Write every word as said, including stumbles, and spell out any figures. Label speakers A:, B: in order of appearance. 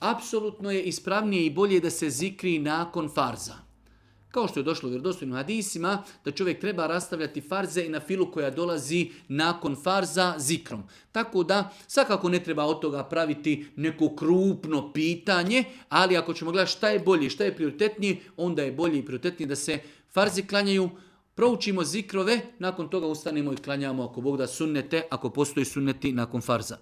A: apsolutno je ispravnije i bolje da se zikri nakon farza. Kao što je došlo u vjerodostojnim hadisima, da čovjek treba rastavljati farze i na filu koja dolazi nakon farza zikrom. Tako da, svakako ne treba od toga praviti neko krupno pitanje, ali ako ćemo gledati šta je bolje, šta je prioritetnije, onda je bolje i prioritetnije da se farzi klanjaju, proučimo zikrove, nakon toga ustanemo i klanjamo ako Bog da sunnete, ako postoji sunneti nakon farza.